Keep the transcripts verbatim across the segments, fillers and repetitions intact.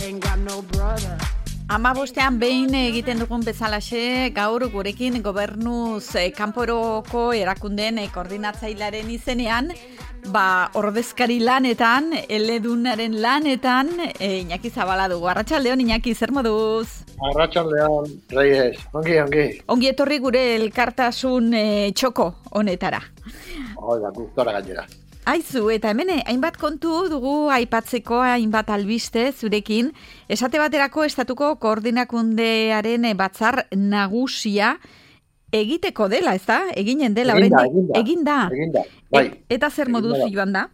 ain't got no brother. Ama bostean behin egiten dugun bezalaxe, gaur gurekin gobernuz eh, kanporoko erakundeen eh, koordinatzailearen izenean, ba, ordezkari lanetan, eledunaren lanetan, eh, Iñaki Zabala dugu. Arratsaldeon, Iñaki, zer moduz? Arratsaldeon, Reyes, ongi, ongi. Ongi etorri gure elkartasun eh, txoko honetara. Oida, gustora gainera. Aizu, eta hemen hainbat kontu dugu aipatzeko, hainbat albiste zurekin. Esate baterako estatuko koordinakundearen batzar nagusia egiteko dela, ez da? Eginen dela. Eginda, oraindik- eginda. Eginda. Eginda, bai. E- eta zer moduz Eginda da. joan da?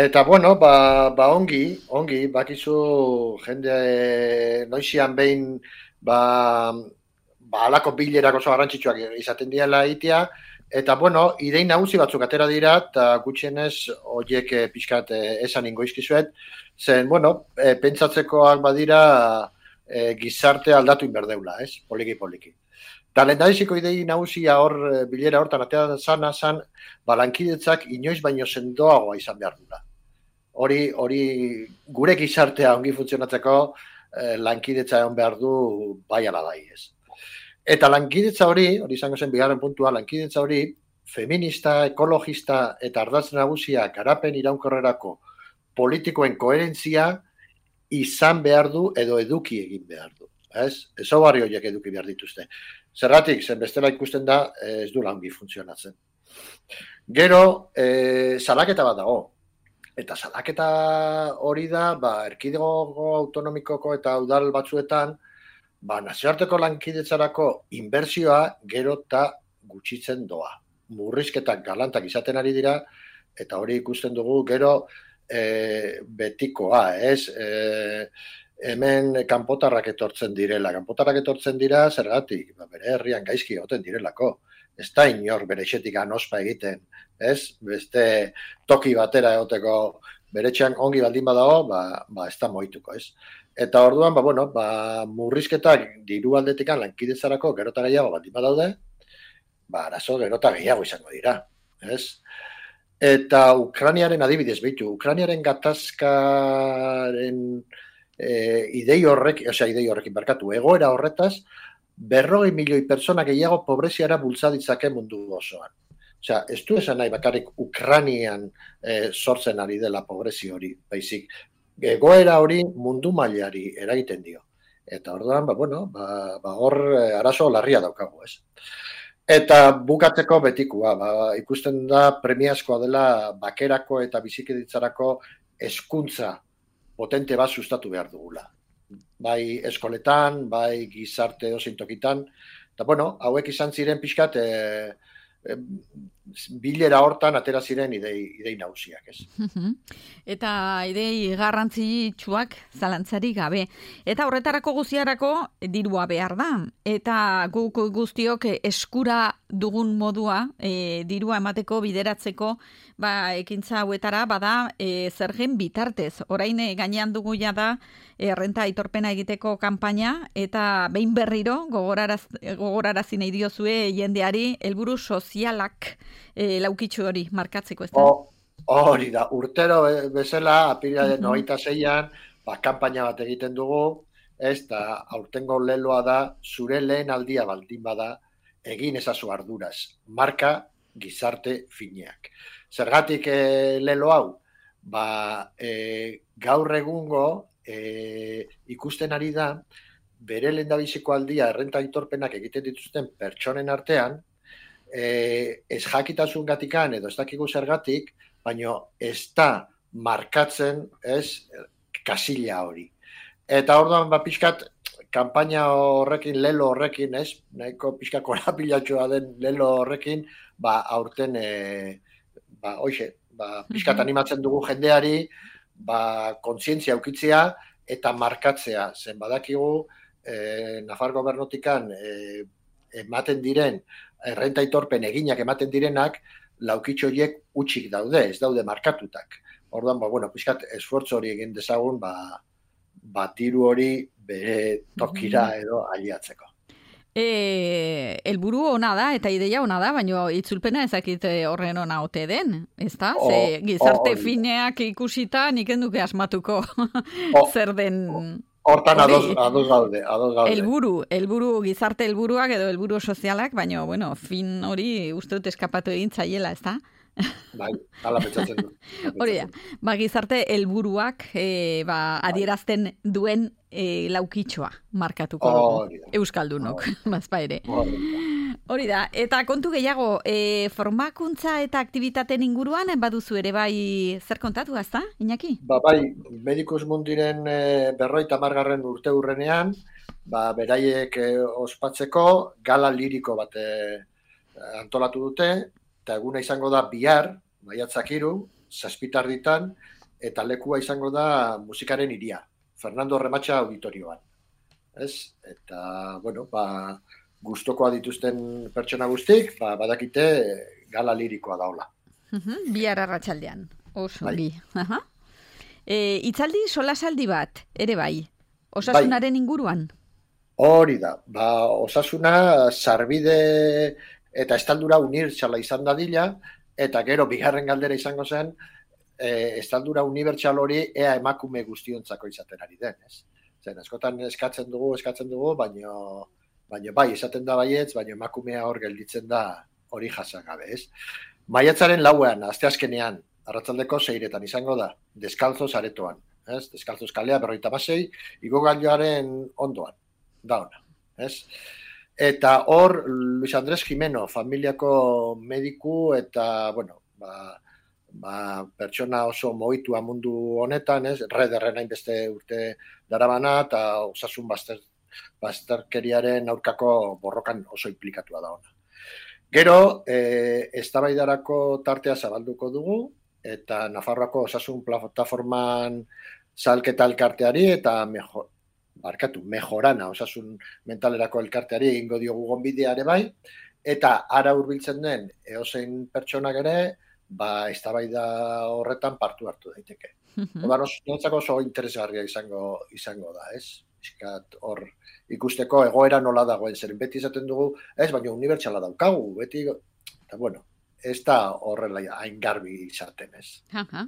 Eta, bueno, ba, ba ongi, ongi, bakizu jende noizian behin, ba, ba alako bilerak oso garrantzitsuak izaten diela egitea, eta, bueno, idei nagusi batzuk atera dira, eta gutxienez horiek eh, pixkat eh, esan ingoizkizuet, zen, bueno, eh, pentsatzekoak badira eh, gizarte aldatu inberdeula, ez? Poliki-poliki. Eta lehendabiziko idei nagusia hor, eh, bilera hortan atera zana, zan, ba, lankidetzak inoiz baino sendoagoa izan behar dula. Hori, hori gure gizartea ongi funtzionatzeko eh, lankidetza egon behar du bai ala bai, ez? Eta lankidetza hori, hori izango zen bigarren puntua, lankidetza hori feminista, ekologista eta ardatz nagusia garapen iraunkorrerako politikoen koherentzia izan behar du edo eduki egin behar du. Ez? Ezaugarri horiek eduki behar dituzte. Zergatik, zen bestela ikusten da ez du ongi funtzionatzen. Gero, e, salaketa bat dago. Eta salaketa hori da, ba, erkidego autonomikoko eta udal batzuetan, ba, nazioarteko lankidetzarako inbertsioa gero eta gutxitzen doa. Murrizketak galantak izaten ari dira, eta hori ikusten dugu gero e, betikoa, ez? E, hemen kanpotarrak etortzen direla. Kanpotarrak etortzen dira, zergatik? Ba, bere herrian gaizki egoten direlako. Ez da inor bere etxetik anospa egiten, ez? Beste toki batera egoteko bere etxean ongi baldin badago, ba, ba ez da moituko, ez? Eta orduan, ba, bueno, ba, murrizketak diru aldetikan lankidetzarako gerota gehiago baldin badaude, ba, arazo gerota gehiago izango dira, ez? Eta Ukrainiaren adibidez behitu, Ukrainiaren gatazkaren e, idei horrek, osea, idei horrekin barkatu, egoera horretaz, berrogei milioi pertsona gehiago pobreziara bultza ditzake mundu osoan. Osea, ez du esan nahi bakarrik Ukrainian e, sortzen ari dela pobrezi hori, baizik. Egoera hori mundu mailari eragiten dio. Eta orduan, ba, bueno, ba, ba hor arazo larria daukagu, ez? Eta bukatzeko betikua, ba, ikusten da premiazkoa dela bakerako eta bizikiditzarako hezkuntza potente bat sustatu behar dugula. Bai eskoletan, bai gizarte ozein tokitan. Eta, bueno, hauek izan ziren pixkat e, e, bilera hortan atera ziren idei, idei nagusiak, ez? Eta idei garrantzitsuak zalantzari gabe. Eta horretarako guztiarako dirua behar da. Eta guk guztiok eskura dugun modua, e, dirua emateko, bideratzeko, ba, ekintza hauetara, bada, e, zergen bitartez. Orain e, gainean dugu ja da, errenta aitorpena egiteko kanpaina, eta behin berriro, gogoraraz, gogorarazi nahi diozue jendeari, helburu sozialak e, laukitxu hori markatzeko, ez da? Hori da, urtero bezala, apirilaren hogeita seian, ba, kanpaina bat egiten dugu, ez da, aurtengo leloa da, zure lehen aldia baldin bada, egin ezazu arduraz, marka gizarte fineak. Zergatik e, lelo hau? Ba, e, gaur egungo e, ikusten ari da, bere lehendabiziko aldia errenta aitorpenak egiten dituzten pertsonen artean, e, ez jakitasun gatikan edo ez dakigu zergatik, baina ez da markatzen, ez, kasila hori. Eta orduan, ba, pixkat, kanpaina horrekin, lelo horrekin, ez, nahiko pixka korapilatxoa den lelo horrekin, ba, aurten, e, ba, hoxe, ba, pixkat animatzen dugu jendeari, ba, kontzientzia aukitzea eta markatzea. Zen badakigu, e, Nafar gobernotikan e, ematen diren, errenta aitorpen eginak ematen direnak, laukitxo horiek utxik daude, ez daude markatutak. Orduan, ba, bueno, pixkat, esfortzu hori egin dezagun, ba, ba, diru hori bere tokira edo aliatzeko. E, elburu ona da, eta ideia ona da, baina itzulpena ezakit horren ona ote den, ezta? Ze gizarte fineak ikusita nik enduke asmatuko zer den... Hortan ados, ados gaude, ados gaude. Elburu, elburu, gizarte elburuak edo elburu sozialak, baina, bueno, fin hori uste dut eskapatu egin zaiela, ezta? Bai, hala pentsatzen du. Hori da, ba, gizarte helburuak e, ba, adierazten duen e, laukitxoa markatuko dugu, euskaldunok, bazpa ere. Hori da, eta kontu gehiago, e, formakuntza eta aktivitateen inguruan, baduzu ere bai zer kontatu, ezta, Iñaki? Ba, bai, Medikus Mundiren e, berroita margarren urte hurrenean, ba, beraiek e, ospatzeko gala liriko bat e, antolatu dute, eta eguna izango da bihar, maiatzak hiru, zazpitarditan, eta lekua izango da musikaren hiria, Fernando Rematxa auditorioan. Ez? Eta, bueno, ba, gustokoa dituzten pertsona guztik, ba, badakite gala lirikoa daola. Bihar arratsaldean, oso bi. E, itzaldi solasaldi bat, ere bai, osasunaren inguruan? Hori da, ba, osasuna sarbide eta estaldura unibertsala izan dadila, eta gero bigarren galdera izango zen, e, estaldura unibertsal hori ea emakume guztiontzako izaten ari den, ez? Zen, askotan eskatzen dugu, eskatzen dugu, baino, baino bai, esaten da baietz, baino emakumea hor gelditzen da hori jasagabe, ez? Maiatzaren lauean, asteazkenean, arratsaldeko seiretan izango da, deskalzoz aretoan, ez? Deskalzoz kalea berroita basei, igogailuaren ondoan, da ona, ez? Eta hor, Luis Andrés Jimeno, familiako mediku eta, bueno, ba, ba, pertsona oso moitua mundu honetan, ez? Rederren hainbeste urte darabana eta osasun bazter, bazterkeriaren aurkako borrokan oso implikatua da ona. Gero, e, eztabaidarako tartea zabalduko dugu, eta Nafarroako osasun plataforman salketa elkarteari eta mejor, barkatu, mejorana, osasun mentalerako elkarteari egingo diogu gonbidea ere bai, eta ara hurbiltzen den eozein pertsonak ere, ba, eztabaida horretan partu hartu daiteke. Odan, notzako oso interesgarria izango, izango da, ez? Iskat hor ikusteko egoera nola dagoen, zeren beti izaten dugu, ez, baina unibertsala daukagu, beti, eta bueno, ez da horrela hain garbi izaten, ez. Aha.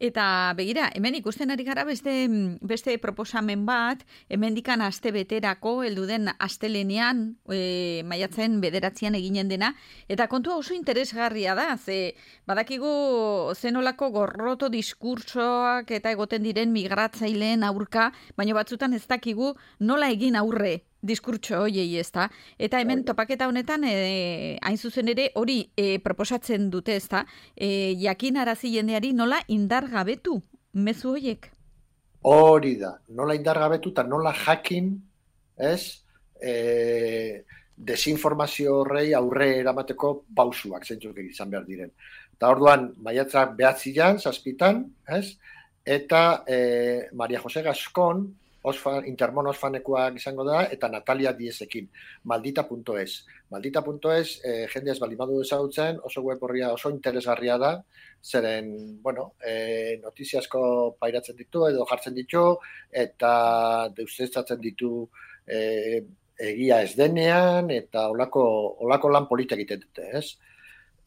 Eta begira, hemen ikusten ari gara beste, beste proposamen bat, hemendikan aste beterako, heldu den astelenean, e, maiatzen bederatzean eginen dena, eta kontua oso interesgarria da, ze badakigu zenolako gorroto diskursoak eta egoten diren migratzaileen aurka, baina batzutan ez dakigu nola egin aurre diskurtso hoiei, ezta? Eta hemen topaketa honetan, e, hain zuzen ere, hori e, proposatzen dute, ezta? E, jakinarazi jendeari nola indargabetu mezu hoiek? Hori da, nola indargabetu eta nola jakin, ez? E, desinformazio horrei aurre eramateko pausuak, zeintzuk izan behar diren. Eta orduan, maiatzak behatzian, zazpitan, ez? Eta e, Maria Jose Gascon, Osfan, Intermon Osfanekoak izango da, eta Natalia Diezekin, maldita punto es. Maldita punto es, eh, jende ez balimadu ezagutzen, oso web horria oso interesgarria da, zeren, bueno, eh, notiziasko pairatzen ditu, edo jartzen ditu, eta deusestatzen ditu eh, egia ez denean, eta olako, olako lan polita egiten dute, ez?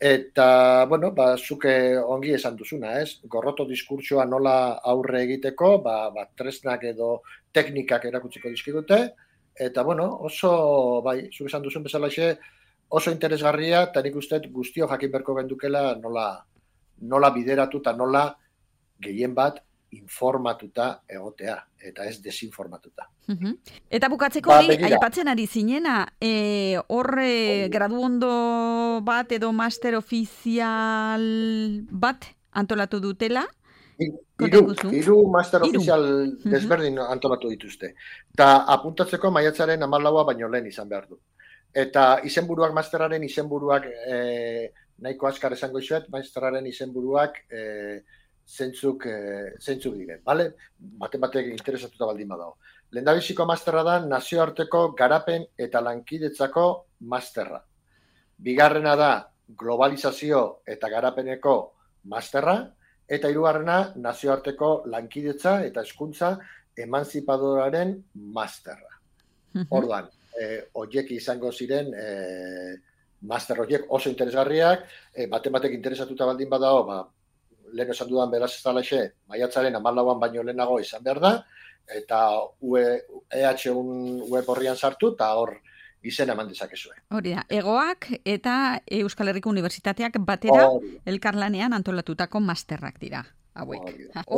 Eta, bueno, ba, zuke ongi esan duzuna, ez? Gorroto diskurtsoa nola aurre egiteko, ba, ba, tresnak edo teknikak erakutsiko dizkigute, eta, bueno, oso, bai, zuke esan duzun bezalaxe, oso interesgarria, eta nik uste guztio jakin berko gendukela nola, nola bideratu eta nola gehien bat informatuta egotea, eta ez desinformatuta. Uh-huh. Eta bukatzeko hori, ba, aipatzen ari zinena, e, horre gradu ondo bat edo master ofizial bat antolatu dutela? Hiru, hiru master ofizial desberdin uh-huh. antolatu dituzte. Eta apuntatzeko maiatzaren hamalaua baino lehen izan behar du. Eta izenburuak, masteraren izenburuak, e, nahiko askar esango izuet, masteraren izenburuak e, zentzuk, e, zentzuk diren, bale? Baten batek interesatuta baldin badago. Lehendabiziko masterra da nazioarteko garapen eta lankidetzako masterra. Bigarrena da globalizazio eta garapeneko masterra, eta hirugarrena nazioarteko lankidetza eta hezkuntza emanzipadoraren masterra. Orduan, e, oiek izango ziren e, master horiek oso interesgarriak, e, baten batek interesatuta baldin badao, ba, lehen esan dudan beraz ez dalaxe, maiatzaren hamalauan baino lehenago izan behar da, eta E H un web horrian sartu, eta hor izena eman dezakezue. Hori da, egoak eta Euskal Herriko Unibertsitateak batera Hori. elkarlanean antolatutako masterrak dira. Hauek.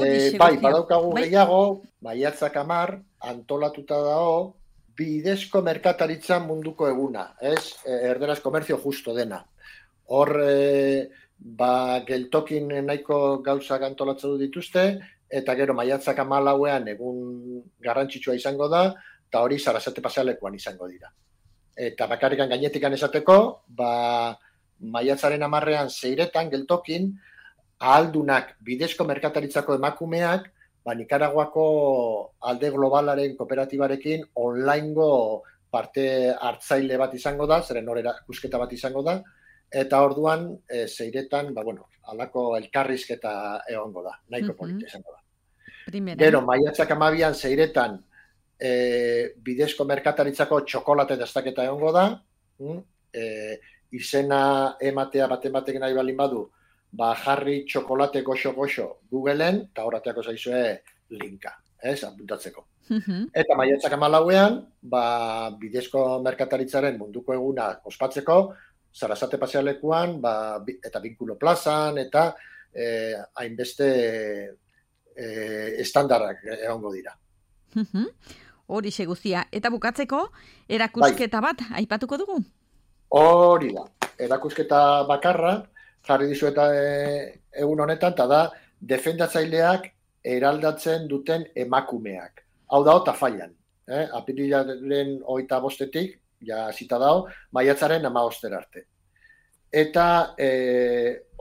E, bai, badaukagu bai? Gehiago, maiatzak amar, antolatuta dago, bidezko merkataritzan munduko eguna, ez? Erderaz komerzio justo dena. Hor, e, ba, geltokin nahiko gauzak antolatzen dituzte, eta gero maiatzak amalauean egun garrantzitsua izango da, eta hori Sarasate pasealekuan izango dira. Eta bakarrikan gainetikan esateko, ba, maiatzaren amarrean zeiretan geltokin, ahaldunak bidezko merkataritzako emakumeak, ba, Nikaraguako alde globalaren kooperatibarekin onlinego parte hartzaile bat izango da, zeren hor erakusketa bat izango da, eta orduan e, zeiretan, ba, bueno, alako elkarrizketa egongo da, nahiko uh-huh. polita izango da. Primera. Gero, maiatzak amabian zeiretan e, bidezko merkataritzako txokolate dastaketa egongo da, e, izena ematea baten batek nahi balin badu, ba, jarri txokolate goxo-goxo Googleen, eta horreteako zaizue linka, ez, apuntatzeko. Uh-huh. Eta maiatzak amalauean, ba, bidezko merkataritzaren munduko eguna ospatzeko, Sarasate pasealekuan, ba, eta Binkulo plazan, eta eh, hainbeste eh, estandarrak egongo dira. Uh-huh. Hori guztia. Eta bukatzeko, erakusketa bai. bat, aipatuko dugu? Hori da. Erakusketa bakarra, jarri dizu eta e, egun honetan, eta da, defendatzaileak eraldatzen duten emakumeak. Hau da, eta fallan. Eh? Apirilaren hogeita bostetik, ja zita dao, maiatzaren hamaboster arte. Eta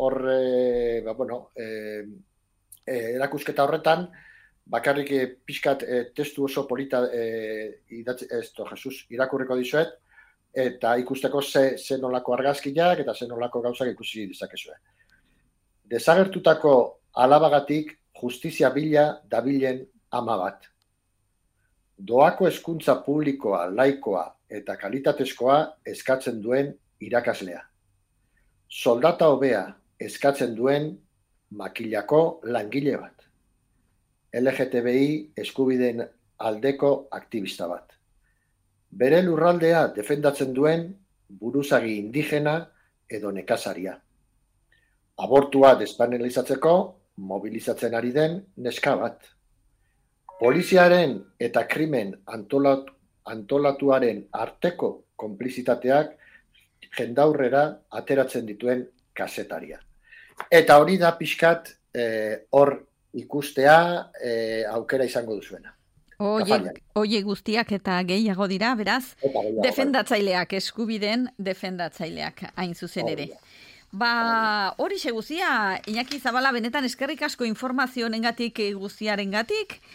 hor, e, ba, bueno, e, e, erakusketa horretan, bakarrik e, pixkat e, testu oso polita e, idatzi, esto, Jesus, irakurriko dizuet, eta ikusteko ze, ze nolako argazkiak eta ze nolako gauzak ikusi dezakezue. Desagertutako alabagatik justizia bila dabilen ama bat. Doako hezkuntza publikoa, laikoa eta kalitatezkoa eskatzen duen irakaslea. Soldata hobea eskatzen duen makilako langile bat. L G T B I eskubideen aldeko aktivista bat. Bere lurraldea defendatzen duen buruzagi indigena edo nekazaria. Abortua despenalizatzeko mobilizatzen ari den neska bat. Poliziaren eta krimen antolat, antolatuaren arteko konplizitateak jendaurrera ateratzen dituen kasetaria. Eta hori da pixkat hor eh, ikustea eh, aukera izango duzuena. Oie guztiak eta gehiago dira, beraz, defendatzaileak, eskubideen defendatzaileak hain zuzen ere. Ba, hori guztia, Iñaki Zabala, benetan eskerrik asko informazioengatik guztiarengatik,